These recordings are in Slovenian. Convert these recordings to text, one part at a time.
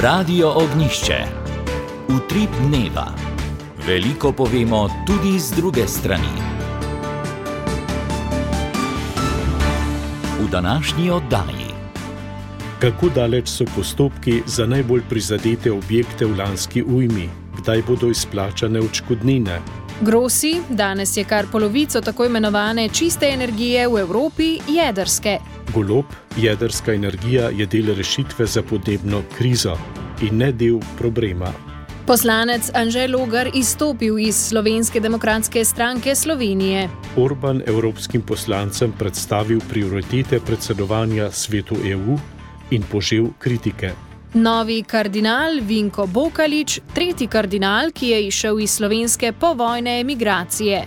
Radio Ognjišče. Utrip dneva. Veliko povemo tudi z druge strani. V današnji oddaji. Kako daleč so postopki za najbolj prizadete objekte v lanski ujmi? Kdaj bodo izplačane odškodnine? Grossi, danes je kar polovico tako imenovane čiste energije v Evropi jedrske. Golob, jedrska energija je del rešitve za podnebno krizo in ne del problema. Poslanec Anže Logar izstopil iz Slovenske demokratske stranke Slovenije. Orban evropskim poslancem predstavil prioritete predsedovanja svetu EU in požel kritike. Novi kardinal Vinko Bokalič, tretji kardinal, ki je izšel iz slovenske povojne emigracije.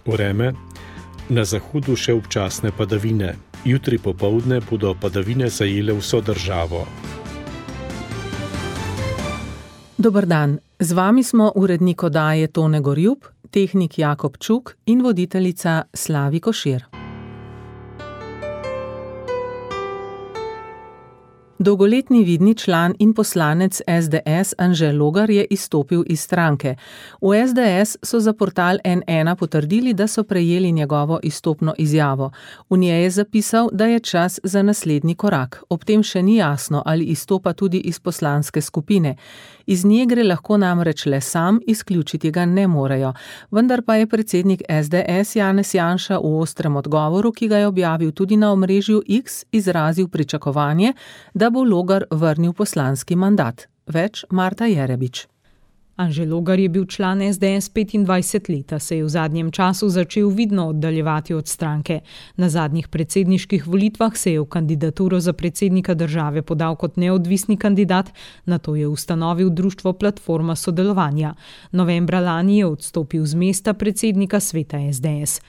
Vreme. Na zahodu še občasne padavine. Jutri popoldne bodo padavine zajele vso državo. Dober dan, z vami smo urednik oddaje Tone Gorjup, tehnik Jakob Čuk in voditeljica Slavi Košir. Dolgoletni vidni član in poslanec SDS Anže Logar je izstopil iz stranke. V SDS so za portal N1 potrdili, da so prejeli njegovo izstopno izjavo. V njej je zapisal, da je čas za naslednji korak. Ob tem še ni jasno, ali izstopa tudi iz poslanske skupine. Iz nje gre lahko namreč le sam, izključiti ga ne morejo. Vendar pa je predsednik SDS Janez Janša v ostrem odgovoru, ki ga je objavil tudi na omrežju X, izrazil pričakovanje, da bo Logar vrnil poslanski mandat. Več Marta Jerebič. Anže Logar je bil član SDS 25 leta, se je v zadnjem času začel vidno oddaljevati od stranke. Na zadnjih predsedniških volitvah se je v kandidaturo za predsednika države podal kot neodvisni kandidat, nato je ustanovil društvo Platforma sodelovanja. Novembra lani je odstopil z mesta predsednika sveta SDS.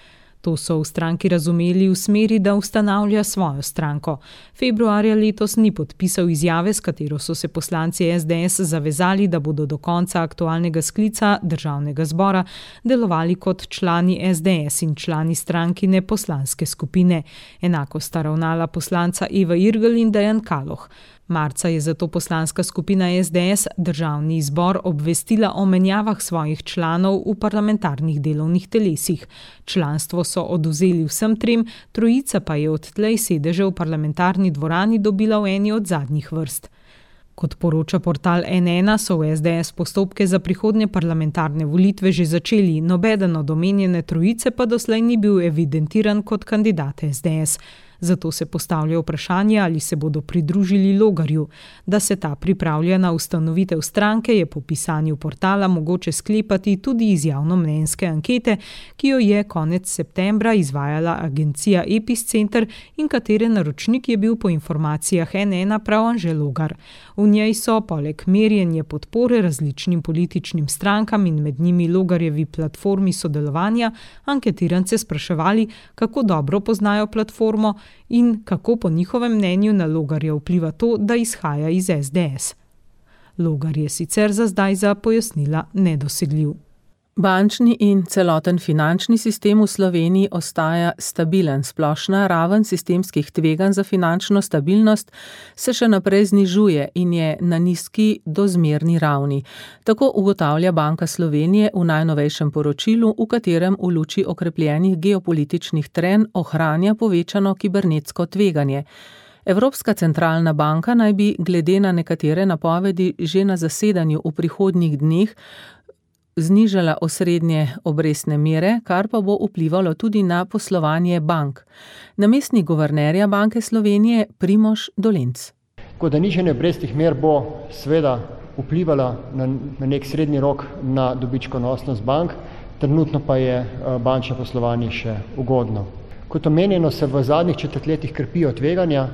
To so v stranki razumeli v smeri, da ustanavlja svojo stranko. Februarja letos ni podpisal izjave, s katero so se poslanci SDS zavezali, da bodo do konca aktualnega sklica državnega zbora delovali kot člani SDS in člani strankine poslanske skupine. Enako sta ravnala poslanca Eva Irgl in Dejan Kaloh. Marca je zato poslanska skupina SDS državni zbor obvestila o menjavah svojih članov v parlamentarnih delovnih telesih. Članstvo so odvzeli vsem trem, trojica pa je odtlej sedeže v parlamentarni dvorani dobila v eni od zadnjih vrst. Kot poroča portal N1, so v SDS postopke za prihodnje parlamentarne volitve že začeli, nobeden od omenjene trojice pa doslej ni bil evidentiran kot kandidat SDS. Zato se postavlja vprašanje, ali se bodo pridružili Logarju. Da se ta pripravlja na ustanovitev stranke, je po pisanju portala mogoče sklepati tudi iz javnomnenjske ankete, ki jo je konec septembra izvajala agencija Epicenter in katere naročnik je bil po informacijah N1 prav Anže Logar. V njej so poleg merjenja podpore različnim političnim strankam in med njimi Logarjevi platformi sodelovanja anketirance spraševali, kako dobro poznajo platformo in kako po njihovem mnenju na Logarja vpliva to, da izhaja iz SDS. Logar je sicer za zdaj za pojasnila nedosegljiv. Bančni in celoten finančni sistem v Sloveniji ostaja stabilen. Splošna raven sistemskih tveganj za finančno stabilnost se še naprej znižuje in je na nizki do zmerni ravni. Tako ugotavlja Banka Slovenije v najnovejšem poročilu, v katerem v luči okrepljenih geopolitičnih trenj ohranja povečano kibernetsko tveganje. Evropska centralna banka naj bi glede na nekatere napovedi že na zasedanju v prihodnjih dneh znižala osrednje obrestne mere, kar pa bo vplivalo tudi na poslovanje bank. Namestnik guvernerja Banke Slovenije Primož Dolenc. Tako da nižanje obrestnih mer bo seveda vplivala na nek srednji rok na dobičkonosnost bank, trenutno pa je bančno poslovanje še ugodno. Kot omenjeno, se v zadnjih četrtletjih krepijo tveganja,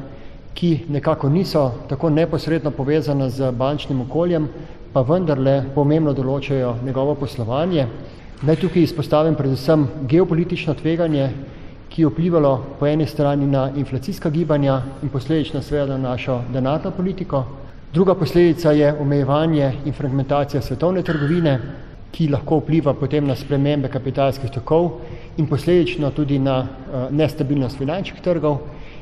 ki nekako niso tako neposredno povezana z bančnim okoljem, pa vendarle pomembno določajo njegovo poslovanje. Naj tukaj izpostavim predvsem geopolitično tveganje, ki je vplivalo po eni strani na inflacijska gibanja in posledično seveda na našo denarno politiko. Druga posledica je omejevanje in fragmentacija svetovne trgovine, ki lahko vpliva potem na spremembe kapitalskih tokov in posledično tudi na nestabilnost finančnih trgov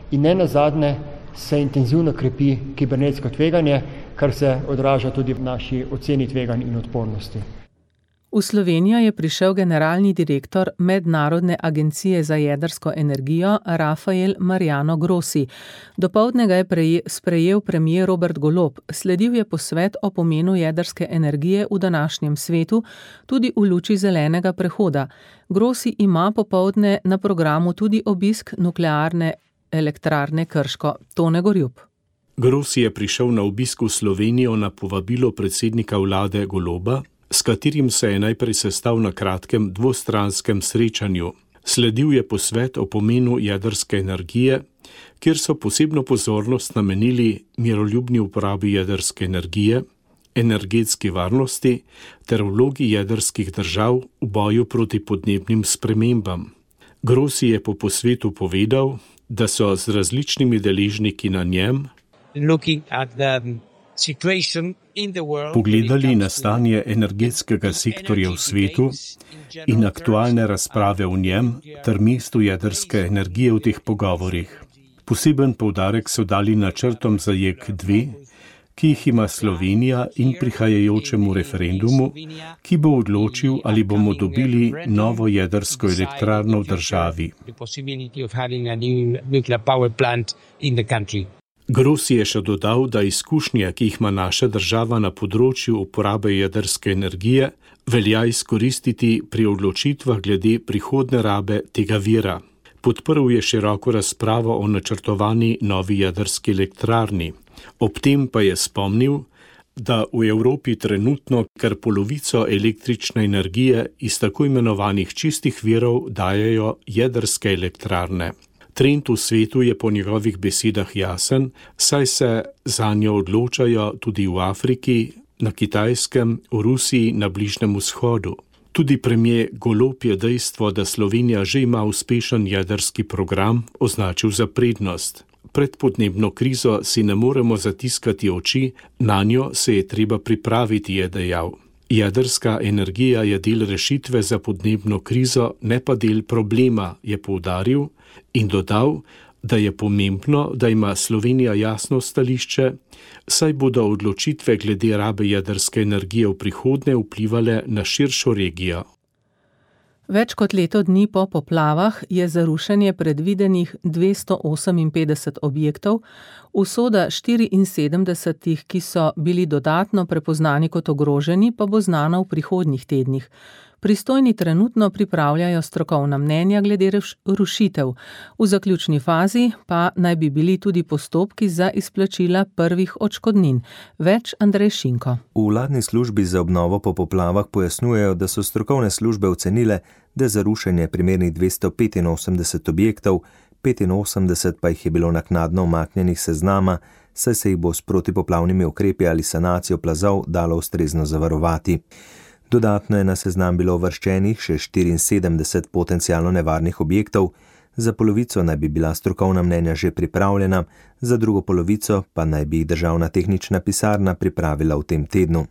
in ne nazadnje se intenzivno krepi kibernetsko tveganje, kar se odraža tudi v naši oceni tveganj in odpornosti. V Slovenijo je prišel generalni direktor Mednarodne agencije za jedrsko energijo Rafael Mariano Grossi. Dopoldne ga je sprejel premier Robert Golob. Sledil je posvet o pomenu jedrske energije v današnjem svetu, tudi v luči zelenega prehoda. Grossi ima popoldne na programu tudi obisk nuklearne elektrarne Krško. Tone Gorjup. Grossi je prišel na obisk v Slovenijo na povabilo predsednika vlade Goloba, s katerim se je najprej sestal na kratkem dvostranskem srečanju. Sledil je posvet o pomenu jedrske energije, kjer so posebno pozornost namenili miroljubni uporabi jedrske energije, energetski varnosti ter vlogi jedrskih držav v boju proti podnebnim spremembam. Grossi je po posvetu povedal, da so z različnimi deležniki na njem pogledali na stanje energetskega sektorja v svetu in aktualne razprave v njem ter mestu jedrske energije v teh pogovorih. Poseben poudarek so dali načrtom za JEK2, ki jih ima Slovenija, in prihajajočemu referendumu, ki bo odločil, ali bomo dobili novo jedrsko elektrarno v državi. Grossi je še dodal, da izkušnje, ki jih ima naša država na področju uporabe jedrske energije, velja izkoristiti pri odločitvah glede prihodne rabe tega vira. Podprl je široko razpravo o načrtovani novi jedrski elektrarni. Ob tem pa je spomnil, da v Evropi trenutno kar polovico električne energije iz tako imenovanih čistih virov dajejo jedrske elektrarne. Trend v svetu je po njegovih besedah jasen, saj se zanjo odločajo tudi v Afriki, na Kitajskem, v Rusiji, na Bližnjem vzhodu. Tudi premier Golob je dejstvo, da Slovenija že ima uspešen jedrski program, označil za prednost. Pred podnebno krizo si ne moremo zatiskati oči, nanjo se je treba pripraviti, je dejal. Jedrska energija je del rešitve za podnebno krizo, ne pa del problema, je poudaril in dodal, da je pomembno, da ima Slovenija jasno stališče, saj bodo odločitve glede rabe jedrske energije v prihodnje vplivale na širšo regijo. Več kot leto dni po poplavah je za rušenje predvidenih 258 objektov, usoda 74, ki so bili dodatno prepoznani kot ogroženi, pa bo znana v prihodnjih tednih. Pristojni trenutno pripravljajo strokovna mnenja glede rušitev. V zaključni fazi pa naj bi bili tudi postopki za izplačila prvih odškodnin. Več Andrej Šinko. V vladni službi za obnovo po poplavah pojasnjujejo, da so strokovne službe ocenile, da za rušenje primernih 285 objektov, 85 pa jih je bilo naknadno umaknjenih seznama, saj se jih bo s protipoplavnimi ukrepi ali sanacijo plazov dalo ustrezno zavarovati. Dodatno je na seznam bilo uvrščenih še 74 potencialno nevarnih objektov, za polovico naj bi bila strokovna mnenja že pripravljena, za drugo polovico pa naj bi jih državna tehnična pisarna pripravila v tem tednu.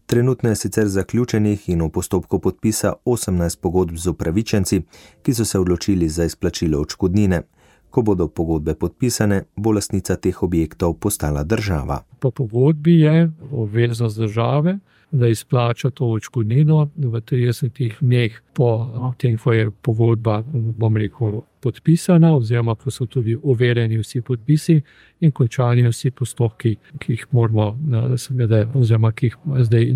Trenutno je sicer zaključenih in v postopku podpisa 18 pogodb z upravičenci, ki so se odločili za izplačilo odškodnine. Ko bodo pogodbe podpisane, bo lastnica teh objektov postala država. Po pogodbi je obveznost države, da izplača to odškodnino v 30 dneh po tem, ko je pogodba, podpisana, oziroma ko so tudi overjeni vsi podpisi in končani vsi postopki, ki jih moramo, oziroma ki jih zdaj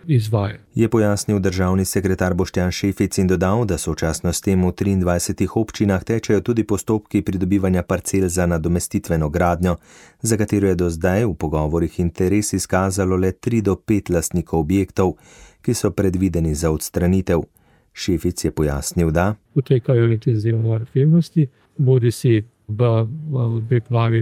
izvaja. Je pojasnil državni sekretar Boštjan Šefic in dodal, da sočasno s tem v 23 občinah tečejo tudi postopki pridobivanja parcel za nadomestitveno gradnjo, za katero je do zdaj v pogovorih interes izkazalo le 3 do 5 lastnikov objektov, ki so predvideni za odstranitev. Šefic je pojasnil, da potekajo intenzivne aktivnosti, bodisi v pripravi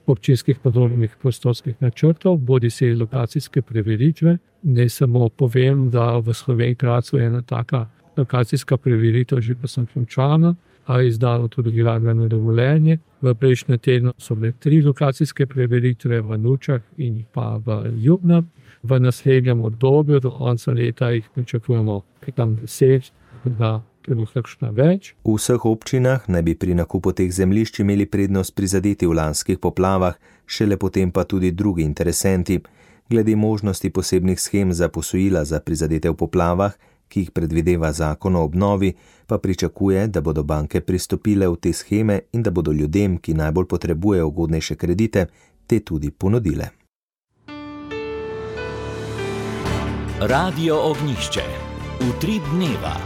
občinskih podrobnih prostorskih načrtov, bodisi lokacijske preveritve. Ne samo povem, da v Sloveniji Gradcu je ena taka lokacijska preveritev že končana, a je izdano tudi gradbeno dovoljenje. V prejšnjem tednu so bile 3 lokacijske preveritve v Nučah in pa v Ljubnem. V naslednjem obdobju do konca leta jih pričakujemo 10, da kakšna več. V vseh občinah naj bi pri nakupu teh zemljišč imeli prednost prizadeti v lanskih poplavah, šele potem pa tudi drugi interesenti. Glede možnosti posebnih shem za posojila za prizadete v poplavah, ki jih predvideva zakon o obnovi, pa pričakuje, da bodo banke pristopile v te sheme in da bodo ljudem, ki najbolj potrebujejo ugodnejše kredite, te tudi ponudile. Radio Ognjišče. Utrip dneva.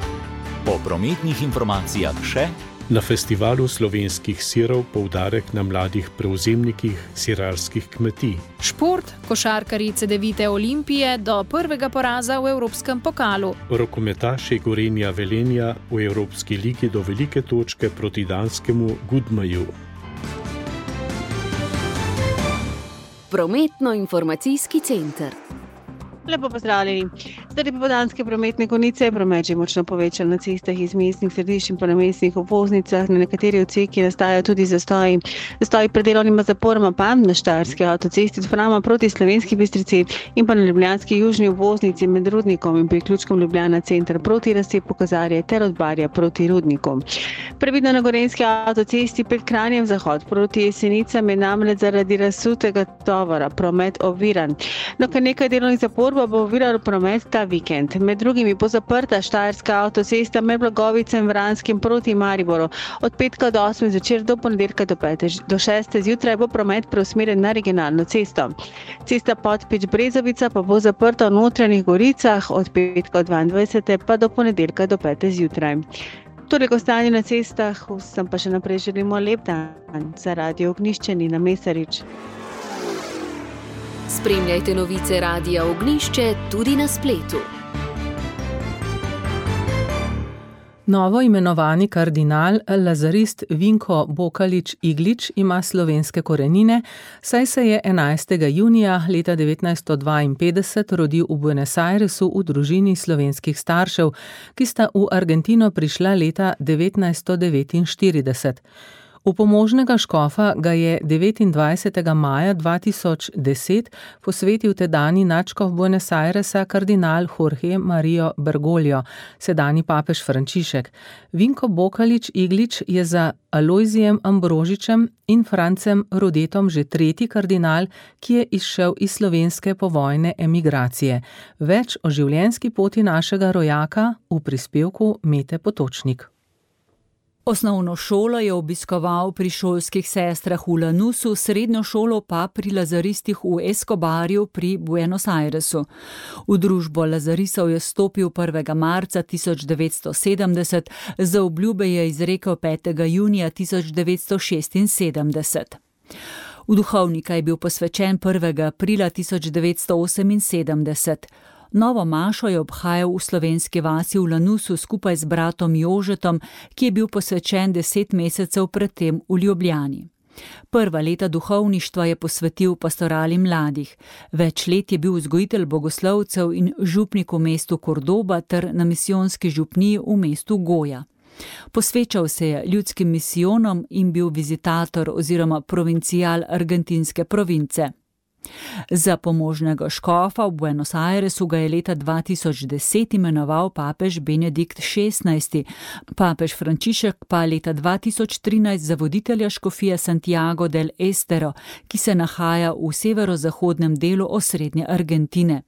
Po prometnih informacijah še: na festivalu slovenskih sirov poudarek na mladih prevzemnikih sirarskih kmetij. Šport, košarkarji Cedevite Olimpije do prvega poraza v Evropskem pokalu. Rokometaši Gorenja Velenja v Evropski ligi do velike točke proti danskemu Gudmaju. Prometno-informacijski center. Lepo pozdravljeni. Zaradi popoldanske prometne konice je promet že močno povečal na cestah iz mestnih središč in pa na mestnih obvoznicah. Na nekateri odseki nastajajo tudi zastoji. Zastoji pred delovnima zaporoma pa na Štajerski avtocesti od Frama proti Slovenski Bistrici in pa na ljubljanski južni obvoznici med Rudnikom in priključkom Ljubljana center proti razcepu Kozarje ter od Barja proti Rudniku. Previdno na Gorenjski avtocesti pred Kranjem zahod proti Jesenicam je namreč zaradi razsutega tovora promet oviran. No, kar nekaj delovnih zapor bo oviralo promet ta vikend. Med drugimi bo zaprta Štajerska avtocesta med Blagovicem, Vranskim proti Mariboru. Od petka do 8 zvečer do ponedeljka do 5 do 6 zjutraj bo promet preusmerjen na regionalno cesto. Cesta Podpeč-Brezovica pa bo zaprta v Notranjih Goricah od petka do 22 pa do ponedeljka do 5 zjutraj. Toliko stanje na cestah, vsem pa še naprej želimo lep dan. Za Radio Ognjišče Nina Mesarič. Spremljajte novice Radia Ognjišče tudi na spletu. Novo imenovani kardinal lazarist Vinko Bokalič-Iglič ima slovenske korenine, saj se je 11. junija leta 1952 rodil v Buenos Airesu v družini slovenskih staršev, ki sta v Argentino prišla leta 1949. V pomožnega škofa ga je 29. maja 2010 posvetil tedanji nadškof Buenos Airesa kardinal Jorge Mario Bergoglio, sedanji papež Frančišek. Vinko Bokalič-Iglič je za Alojzijem Ambrožičem in Francem Rodetom že tretji kardinal, ki je izšel iz slovenske povojne emigracije. Več o življenjski poti našega rojaka v prispevku Mete Potočnik. Osnovno šolo je obiskoval pri šolskih sestrah v Lanusu, srednjo šolo pa pri lazaristih v Escobarju pri Buenos Airesu. V družbo lazarisov je stopil 1. marca 1970, za obljube je izrekel 5. junija 1976. V duhovnika je bil posvečen 1. aprila 1978. Novo mašo je obhajal v slovenski vasi v Lanusu skupaj z bratom Jožetom, ki je bil posvečen 10 mesecev predtem v Ljubljani. Prva leta duhovništva je posvetil pastorali mladih. Več let je bil vzgojitelj bogoslovcev in župnik v mestu Kordoba ter na misijonski župniji v mestu Goja. Posvečal se je ljudskim misijonom in bil vizitator oziroma provincial argentinske province. Za pomožnega škofa v Buenos Airesu ga je leta 2010 imenoval papež Benedikt XVI, papež Frančišek pa leta 2013 za voditelja škofije Santiago del Estero, ki se nahaja v severozahodnem delu osrednje Argentine.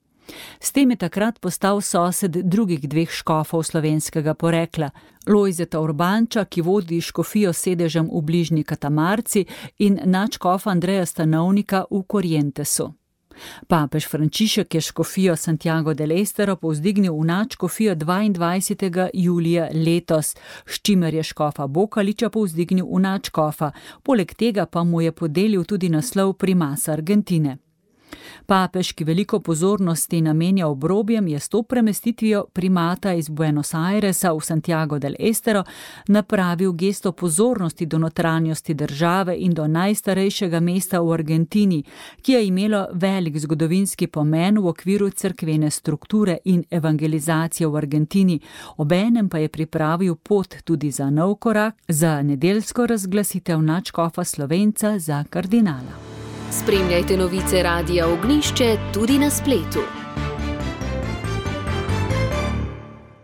S tem je takrat postal sosed drugih dveh škofov slovenskega porekla, Lojzeta Urbanča, ki vodi škofijo sedežem v bližnji Katamarci, in nadškofa Andreja Stanovnika v Corrientesu. Papež Frančišek je škofijo Santiago del Estero povzdignil v nadškofijo 22. julija letos, s čimer je škofa Bokaliča povzdignil v nadškofa, poleg tega pa mu je podelil tudi naslov primasa Argentine. Papež, ki veliko pozornosti namenja obrobjem, je s to premestitvijo primata iz Buenos Airesa v Santiago del Estero napravil gesto pozornosti do notranjosti države in do najstarejšega mesta v Argentini, ki je imelo velik zgodovinski pomen v okviru cerkvene strukture in evangelizacije v Argentini, obenem pa je pripravil pot tudi za nov korak, za nedeljsko razglasitev nadškofa Slovenca za kardinala. Spremljajte novice Radia Ognjišče tudi na spletu.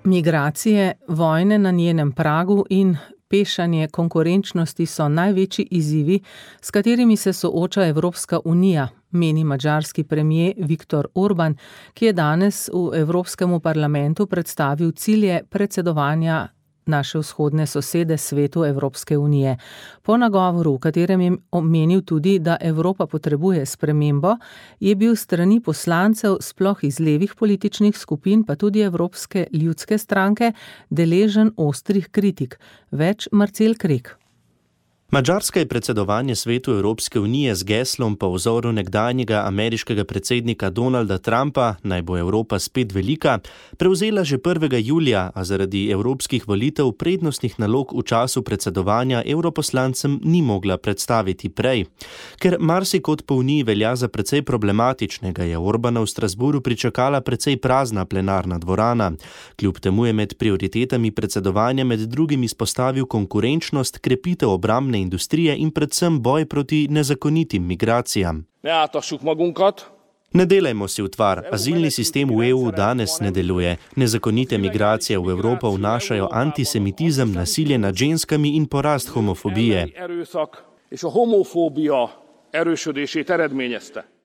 Migracije, vojne na njenem pragu in pešanje konkurenčnosti so največji izzivi, s katerimi se sooča Evropska unija, meni madžarski premier Viktor Orban, ki je danes v Evropskemu parlamentu predstavil cilje predsedovanja naše vzhodne sosede svetu Evropske unije. Po nagovoru, v katerem je omenil tudi, da Evropa potrebuje spremembo, je bil strani poslancev, sploh iz levih političnih skupin, pa tudi Evropske ljudske stranke, deležen ostrih kritik. Več Marcel Krek. Madžarska je predsedovanje svetu Evropske unije z geslom po vzoru nekdanjega ameriškega predsednika Donalda Trumpa, naj bo Evropa spet velika, prevzela že 1. julija, a zaradi evropskih volitev prednostnih nalog v času predsedovanja evroposlancem ni mogla predstaviti prej. Ker marsikod po uniji velja za precej problematičnega, je Orbana v Strasburu pričakala precej prazna plenarna dvorana. Kljub temu je med prioritetami predsedovanja med drugim izpostavil konkurenčnost, krepitev obrambne industrije in predvsem boj proti nezakonitim migracijam. Ne delajmo si utvar, azilni sistem v EU danes ne deluje. Nezakonite migracije v Evropo vnašajo antisemitizem, nasilje nad ženskami in porast homofobije.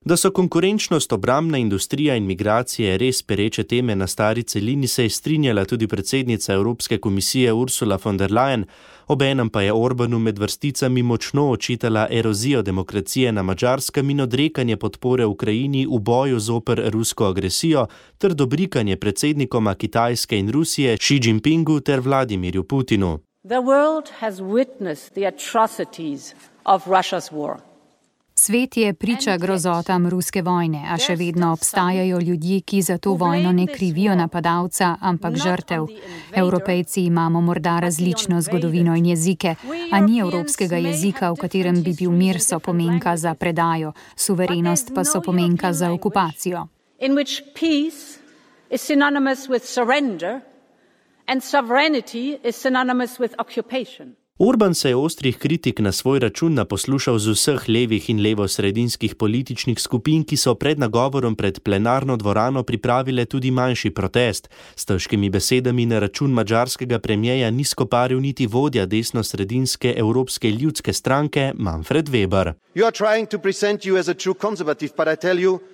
Da so konkurenčnost, obrambna industrija in migracije res pereče teme na stari celini, se je strinjala tudi predsednica Evropske komisije Ursula von der Leyen, obenem pa je Orbanu med vrsticami močno očitala erozijo demokracije na Madžarskem in odrekanje podpore Ukrajini v boju zoper rusko agresijo ter dobrikanje predsednikoma Kitajske in Rusije Xi Jinpingu ter Vladimirju Putinu. The world has witnessed the atrocities of Russia's war. Svet je priča grozotam ruske vojne, a še vedno obstajajo ljudje, ki za to vojno ne krivijo napadalca, ampak žrtev. Evropejci imamo morda različno zgodovino in jezike, a ni evropskega jezika, v katerem bi bil mir sopomenka za predajo, suverenost pa sopomenka za okupacijo. In which peace is synonymous with surrender and sovereignty is synonymous with occupation. Orban se je ostrih kritik na svoj račun naposlušal z vseh levih in levosredinskih političnih skupin, ki so pred nagovorom pred plenarno dvorano pripravile tudi manjši protest. S težkimi besedami na račun madžarskega premierja ni skoparil niti vodja desnosredinske Evropske ljudske stranke Manfred Weber.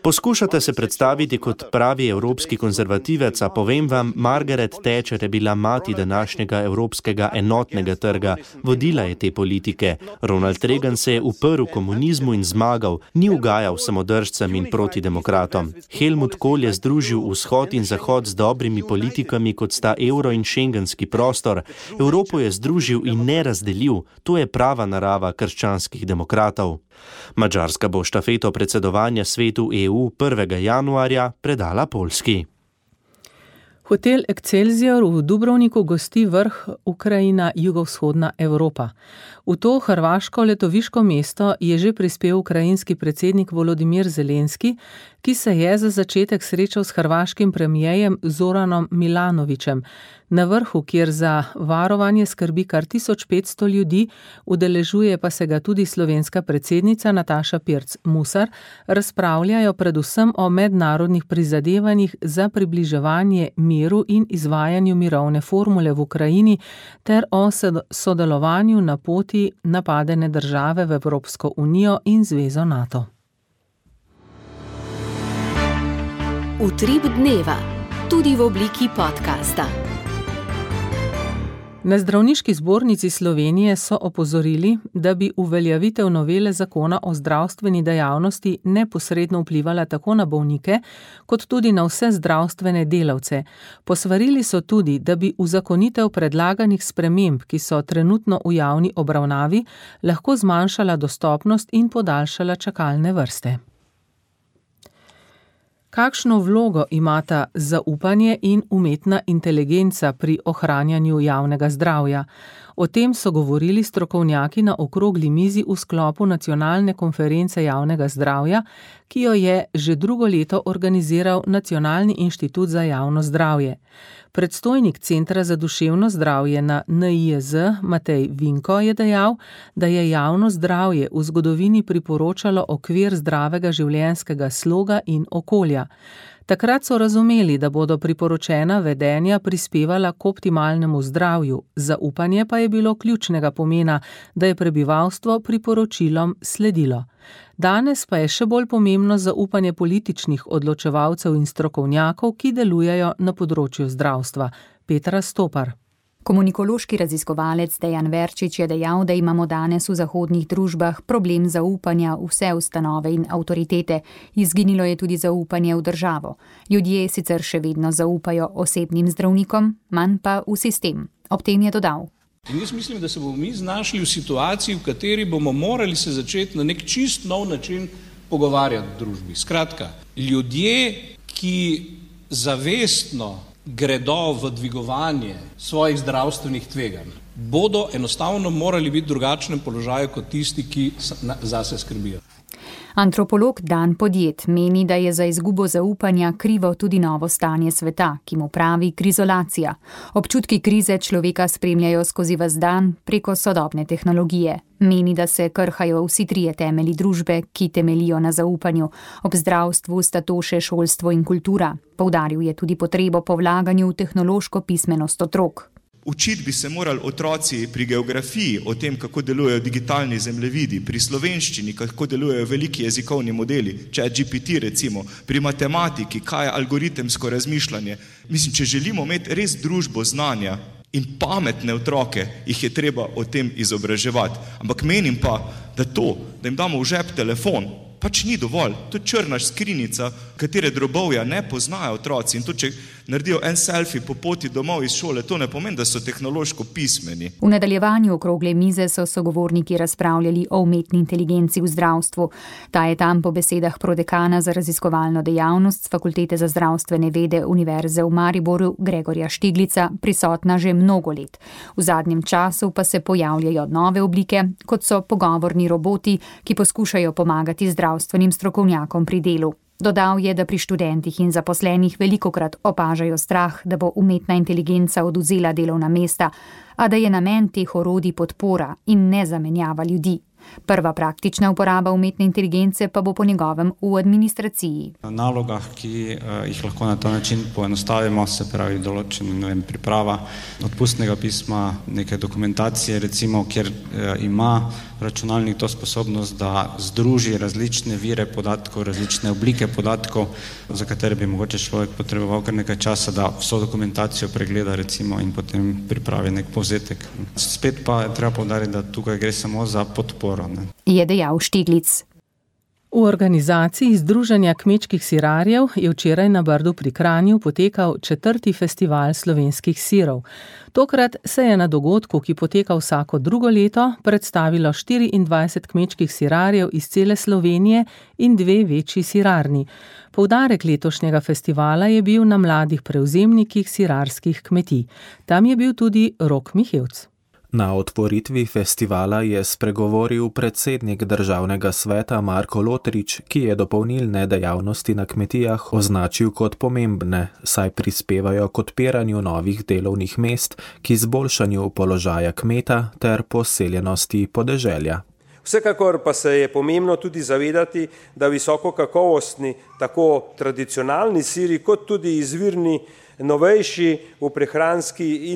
Poskušate se predstaviti kot pravi evropski konzervativec, a povem vam, Margaret Thatcher je bila mati današnjega evropskega enotnega trga. Vodila je te politike. Ronald Reagan se je uprl komunizmu in zmagal, ni ugajal samodržcem in protidemokratom. Helmut Kohl je združil vzhod in zahod z dobrimi politikami, kot sta evro in šengenski prostor. Evropo je združil in ne razdelil. To je prava narava krščanskih demokratov. Madžarska bo štafeto predsedovanja svetu EU 1. januarja predala Poljski. Hotel Excelsior v Dubrovniku gosti vrh Ukrajina-Jugovzhodna Evropa. V to hrvaško letoviško mesto je že prispel ukrajinski predsednik Volodimir Zelenski, ki se je za začetek srečal s hrvaškim premierjem Zoranom Milanovićem. Na vrhu, kjer za varovanje skrbi kar 1500 ljudi, udeležuje pa se ga tudi slovenska predsednica Nataša Pirc Musar, razpravljajo predvsem o mednarodnih prizadevanjih za približevanje miru in izvajanju mirovne formule v Ukrajini ter o sodelovanju na poti napadene države v Evropsko unijo in zvezo NATO. Utrip dneva, tudi v obliki podcasta. Na Zdravniški zbornici Slovenije so opozorili, da bi uveljavitev novele zakona o zdravstveni dejavnosti neposredno vplivala tako na bolnike, kot tudi na vse zdravstvene delavce. Posvarili so tudi, da bi uzakonitev predlaganih sprememb, ki so trenutno v javni obravnavi, lahko zmanjšala dostopnost in podaljšala čakalne vrste. Kakšno vlogo imata zaupanje in umetna inteligenca pri ohranjanju javnega zdravja? O tem so govorili strokovnjaki na okrogli mizi v sklopu Nacionalne konference javnega zdravja, ki jo je že drugo leto organiziral Nacionalni inštitut za javno zdravje. Predstojnik Centra za duševno zdravje na NIJZ Matej Vinko je dejal, da je javno zdravje v zgodovini priporočalo okvir zdravega življenjskega sloga in okolja. Takrat so razumeli, da bodo priporočena vedenja prispevala k optimalnemu zdravju, zaupanje pa je bilo ključnega pomena, da je prebivalstvo priporočilom sledilo. Danes pa je še bolj pomembno zaupanje političnih odločevalcev in strokovnjakov, ki delujejo na področju zdravstva. Petra Stopar. Komunikološki raziskovalec Dejan Verčič je dejal, da imamo danes v zahodnih družbah problem zaupanja v vse ustanove in avtoritete. Izginilo je tudi zaupanje v državo. Ljudje sicer še vedno zaupajo osebnim zdravnikom, manj pa v sistem. Ob tem je dodal. In jaz mislim, da se bomo mi znašli v situaciji, v kateri bomo morali se začeti na nek čist nov način pogovarjati v družbi. Skratka, ljudje, ki zavestno gredo v dvigovanje svojih zdravstvenih tveganj, bodo enostavno morali biti v drugačnem položaju kot tisti, ki zase skrbijo. Antropolog Dan Podjet meni, da je za izgubo zaupanja krivo tudi novo stanje sveta, ki mu pravi krizolacija. Občutki krize človeka spremljajo skozi ves dan preko sodobne tehnologije. Meni, da se krhajo vsi trije temelji družbe, ki temelijo na zaupanju. Ob zdravstvu sta to še šolstvo in kultura. Poudaril je tudi potrebo po vlaganju v tehnološko pismenost otrok. Učiti bi se morali otroci pri geografiji o tem, kako delujejo digitalni zemljevidi, pri slovenščini, kako delujejo veliki jezikovni modeli, ChatGPT recimo, pri matematiki, kaj je algoritemsko razmišljanje. Mislim, če želimo imeti res družbo znanja in pametne otroke, jih je treba o tem izobraževati. Ampak menim pa, da jim damo v žep telefon, pač ni dovolj. To je črna skrinjica, katere drobovja ne poznajo otroci. In to, če naredijo en selfie po poti domov iz šole, to ne pomeni, da so tehnološko pismeni. V nadaljevanju okrogle mize so sogovorniki razpravljali o umetni inteligenci v zdravstvu. Ta je tam po besedah prodekana za raziskovalno dejavnost z Fakultete za zdravstvene vede Univerze v Mariboru Gregorja Štiglica prisotna že mnogo let. V zadnjem času pa se pojavljajo nove oblike, kot so pogovorni roboti, ki poskušajo pomagati zdravstvenim strokovnjakom pri delu. Dodal je, da pri študentih in zaposlenih velikokrat opažajo strah, da bo umetna inteligenca odvzela delovna mesta, a da je namen teh orodij podpora in ne zamenjava ljudi. Prva praktična uporaba umetne inteligence pa bo po njegovem v administraciji. Na nalogah, ki jih lahko na ta način poenostavimo, se pravi določena priprava odpustnega pisma, neke dokumentacije, recimo, kjer ima računalnik to sposobnost, da združi različne vire podatkov, različne oblike podatkov, za katere bi mogoče človek potreboval kar nekaj časa, da vso dokumentacijo pregleda recimo in potem pripravi nek povzetek. Spet pa je treba poudariti, da tukaj gre samo za podporo. Je dejal Štiglic. V organizaciji Združenja kmečkih sirarjev je včeraj na Brdu pri Kranju potekal 4. festival slovenskih sirov. Tokrat se je na dogodku, ki poteka vsako drugo leto, predstavilo 24 kmečkih sirarjev iz cele Slovenije in 2 večji sirarni. Poudarek letošnjega festivala je bil na mladih prevzemnikih sirarskih kmetij. Tam je bil tudi Rok Mihevc. Na otvoritvi festivala je spregovoril predsednik Državnega sveta Marko Lotrič, ki je dopolnilne dejavnosti na kmetijah označil kot pomembne, saj prispevajo k odpiranju novih delovnih mest, k izboljšanju položaja kmeta ter poseljenosti podeželja. Vsekakor pa se je pomembno tudi zavedati, da visoko kakovostni, tako tradicionalni siri, kot tudi izvirni novejši v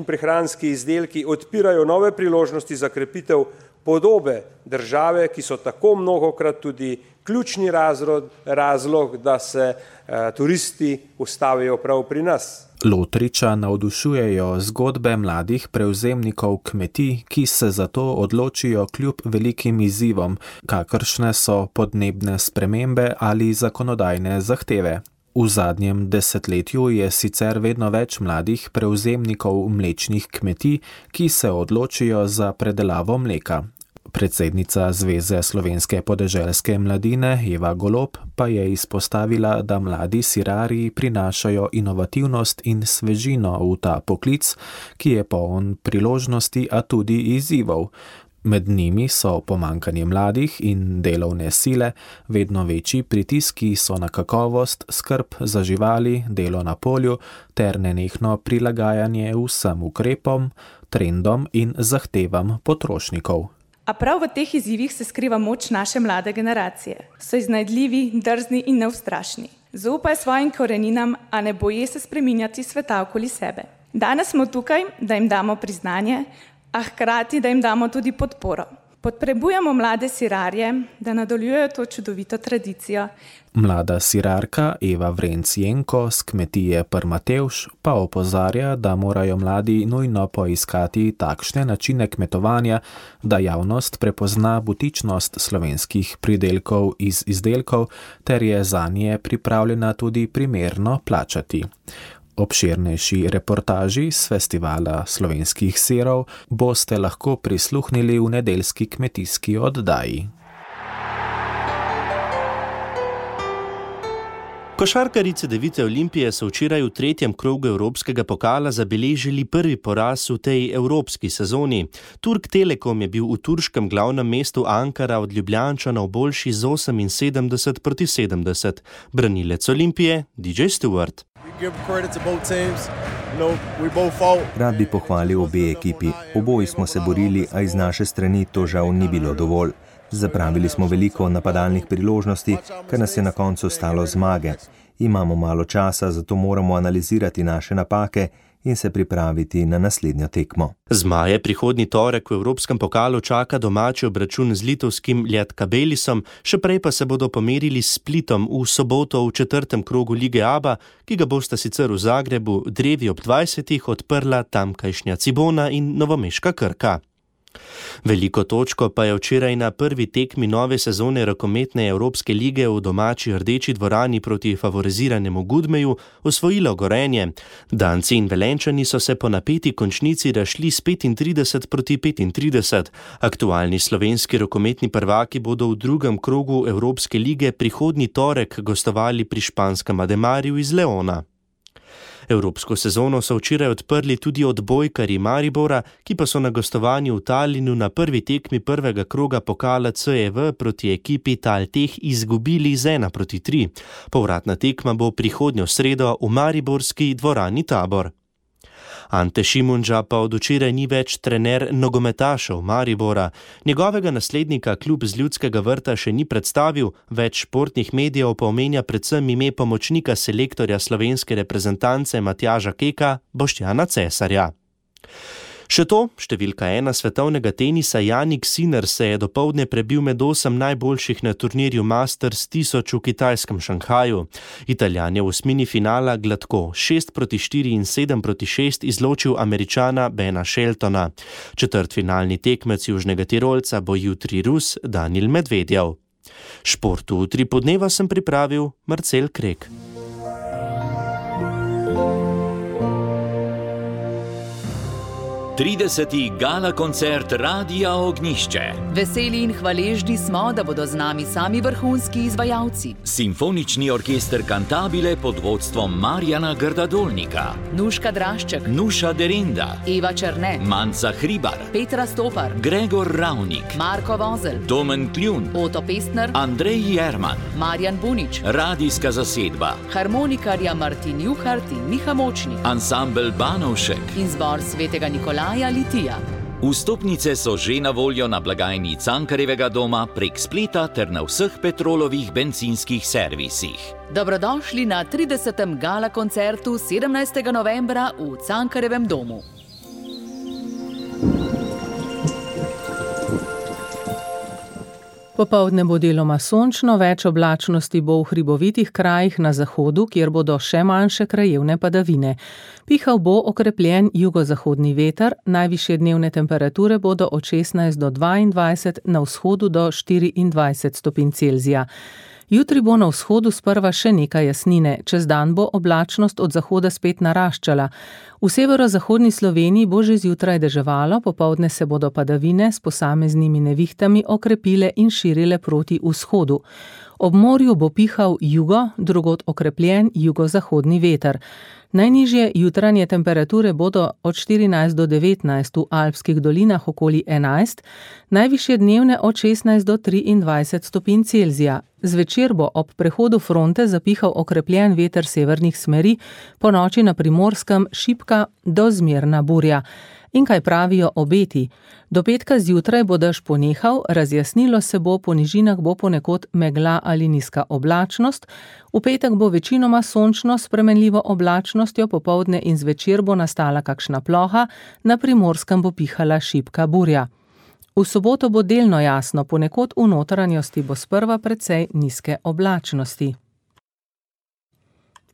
prehranski izdelki odpirajo nove priložnosti za krepitev podobe države, ki so tako mnogokrat tudi ključni razlog, da se turisti ustavijo prav pri nas. Lotriča navdušujejo zgodbe mladih prevzemnikov kmetij, ki se zato odločijo kljub velikim izzivom, kakršne so podnebne spremembe ali zakonodajne zahteve. V zadnjem desetletju je sicer vedno več mladih prevzemnikov mlečnih kmetij, ki se odločijo za predelavo mleka. Predsednica Zveze slovenske podeželske mladine Eva Golob pa je izpostavila, da mladi sirarji prinašajo inovativnost in svežino v ta poklic, ki je poln priložnosti, a tudi izzivov. Med njimi so pomanjkanje mladih in delovne sile, vedno večji pritiski so na kakovost, skrb za živali, delo na polju ter nenehno prilagajanje vsem ukrepom, trendom in zahtevam potrošnikov. A prav v teh izzivih se skriva moč naše mlade generacije. So iznajdljivi, drzni in neustrašni. Zaupaj svojim koreninam, a ne boji se spreminjati sveta okoli sebe. Danes smo tukaj, da jim damo priznanje, a hkrati, da jim damo tudi podporo. Potrebujemo mlade sirarje, da nadaljujejo to čudovito tradicijo. Mlada sirarka Eva Vrenc-Jenko z kmetije Prmatevš pa opozarja, da morajo mladi nujno poiskati takšne načine kmetovanja, da javnost prepozna butičnost slovenskih pridelkov iz izdelkov ter je zanje pripravljena tudi primerno plačati. Obširnejši reportaži s festivala slovenskih sirov boste lahko prisluhnili v nedeljski kmetijski oddaji. Košarkarice Devite Olimpije so včeraj v 3. krogu evropskega pokala zabeležili prvi poraz v tej evropski sezoni. Turk Telekom je bil v turškem glavnem mestu Ankara od Ljubljančanov boljši z 78-70. Branilec Olimpije DJ Stewart. Rad bi pohvalil obe ekipi. Oboji smo se borili, a iz naše strani to žal ni bilo dovolj. Zapravili smo veliko napadalnih priložnosti, kar nas je na koncu stalo zmage. Imamo malo časa, zato moramo analizirati naše napake in se pripraviti na naslednjo tekmo. Zmaje prihodnji torek v Evropskem pokalu čaka domači obračun z litovskim Lietkabelisom, še prej pa se bodo pomerili s Splitom v soboto v 4. krogu Lige ABA, ki ga bosta sicer v Zagrebu drevi ob 20. odprla tamkajšnja Cibona in novomeška Krka. Veliko točko pa je včeraj na prvi tekmi nove sezone rokometne Evropske lige v domači Rdeči dvorani proti favoriziranemu Gudmeju osvojilo Gorenje. Danci in Velenčani so se po napeti končnici razšli s 35-35. Aktualni slovenski rokometni prvaki bodo v 2. krogu Evropske lige prihodnji torek gostovali pri španskem Ademarju iz Leona. Evropsko sezono so včeraj odprli tudi odbojkarji Maribora, ki pa so na gostovanju v Talinu na prvi tekmi prvega kroga pokala CEV proti ekipi Talteh izgubili z 1-3. Povratna tekma bo prihodnjo sredo v mariborski dvorani Tabor. Ante Šimunža pa od včeraj ni več trener nogometašev Maribora. Njegovega naslednika klub z Ljudskega vrta še ni predstavil, več športnih medijev pa omenja predvsem ime pomočnika selektorja slovenske reprezentance Matjaža Keka, Boštjana Cesarja. Še to, številka 1 svetovnega tenisa Jannik Sinner se je dopoldne prebil med 8 najboljših na turnirju Masters 1000 v kitajskem Šanghaju. Italijan je v osmini finala gladko 6-4 in 7-6 izločil Američana Bena Sheltona. Četrtfinalni tekmec Južnega Tirolca bo jutri Rus Daniil Medvedjev. Športu v 3 podneva sem pripravil Marcel Krek. Trideseti gala koncert Radia Ognjišče. Veseli in hvaležni smo, da bodo z nami sami vrhunski izvajalci. Simfonični orkester Cantabile pod vodstvom Marjana Grda-Dolnika. Nuška Drašček, Nuša Derinda, Eva Černe, Manca Hribar, Petra Stopar, Gregor Ravnik, Marko Vozel, Domen Kljun, Oto Pestner, Andrej Jerman, Marjan Bunič, radijska zasedba, harmonikarja Martin Juhart in Miha Močnik, ansambel Banovšek in zbor Svetega Nikolaja Litija. Vstopnice so že na voljo na blagajni Cankarjevega doma prek spleta ter na vseh Petrolovih bencinskih servisih. Dobrodošli na 30. gala koncertu 17. novembra v Cankarjevem domu. Popoldne bo deloma sončno, več oblačnosti bo v hribovitih krajih na zahodu, kjer bodo še manjše krajevne padavine. Pihal bo okrepljen jugozahodni veter, najvišje dnevne temperature bodo od 16 do 22, na vzhodu do 24 stopinj Celzija. Jutri bo na vzhodu sprva še nekaj jasnine, čez dan bo oblačnost od zahoda spet naraščala. V severozahodni Sloveniji bo že zjutraj deževalo, popoldne se bodo padavine s posameznimi nevihtami okrepile in širile proti vzhodu. Ob morju bo pihal jugo, drugod okrepljen jugozahodni veter. Najnižje jutranje temperature bodo od 14 do 19, v alpskih dolinah okoli 11, najvišje dnevne od 16 do 23 stopinj Celzija. Zvečer bo ob prehodu fronte zapihal okrepljen veter severnih smeri, ponoči na Primorskem šibka do zmerna burja. In kaj pravijo obeti? Do petka zjutraj bo dež ponehal, razjasnilo se bo, po nižinah bo ponekod megla ali nizka oblačnost, v petek bo večinoma sončno s spremenljivo oblačnostjo, popoldne in zvečer bo nastala kakšna ploha, na Primorskem bo pihala šibka burja. V soboto bo delno jasno, ponekod v notranjosti bo sprva precej nizke oblačnosti.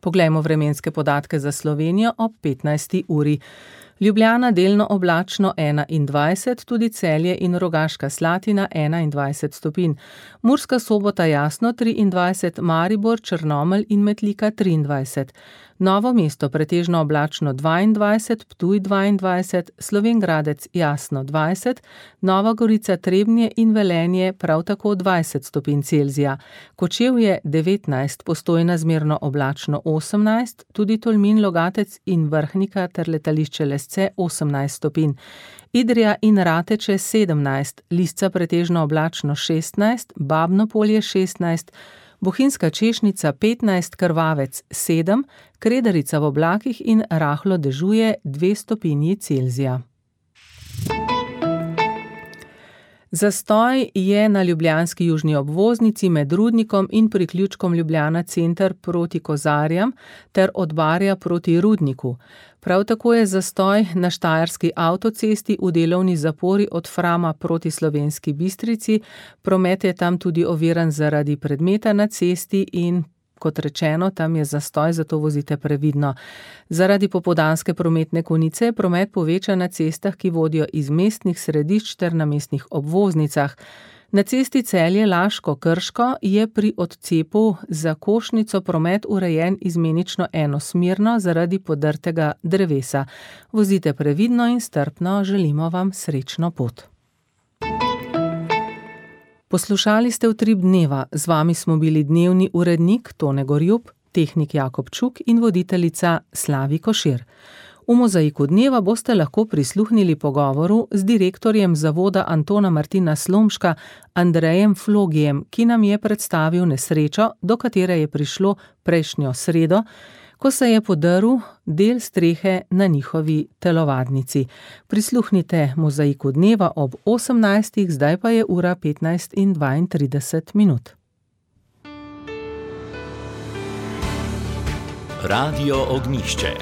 Poglejmo vremenske podatke za Slovenijo ob 15. uri. Ljubljana delno oblačno 21, tudi Celje in Rogaška Slatina 21 stopinj. Murska Sobota jasno 23, Maribor, Črnomelj in Metlika 23. Novo mesto pretežno oblačno 22, Ptuj 22, Slovenj Gradec jasno 20, Nova Gorica, Trebnje in Velenje prav tako 20 stopinj Celzija. Kočevje 19, Postojna zmerno oblačno 18, tudi Tolmin, Logatec in Vrhnika ter letališče Lesce 18 stopinj. Idrija in Rateče 17, Lisca pretežno oblačno 16, Babno Polje 16, Bohinjska Češnica 15, Krvavec 7, Kredarica v oblakih in rahlo dežuje 2 stopinji Celzija. Zastoj je na ljubljanski južni obvoznici med Rudnikom in priključkom Ljubljana center proti Kozarjam ter od Barja proti Rudniku. Prav tako je zastoj na Štajerski avtocesti v delovni zapori od Frama proti Slovenski Bistrici. Promet je tam tudi oviran zaradi predmeta na cesti in kot rečeno, tam je zastoj, zato vozite previdno. Zaradi popoldanske prometne konice je promet povečan na cestah, ki vodijo iz mestnih središč ter na mestnih obvoznicah. Na cesti Celje-Laško-Krško je pri odcepu za Košnico promet urejen izmenično enosmerno zaradi podrtega drevesa. Vozite previdno in strpno, želimo vam srečno pot. Poslušali ste Utrip dneva, z vami smo bili dnevni urednik Tone Gorjup, tehnik Jakob Čuk in voditeljica Slavi Košir. V Mozaiku dneva boste lahko prisluhnili pogovoru z direktorjem zavoda Antona Martina Slomška, Andrejem Flogijem, ki nam je predstavil nesrečo, do katere je prišlo prejšnjo sredo, ko se je podrl del strehe na njihovi telovadnici. Prisluhnite Mozaiku dneva ob 18. Zdaj pa je ura 15:32. Radio Ognjišče.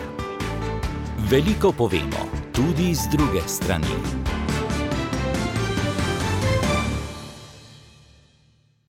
Veliko povemo, tudi z druge strani.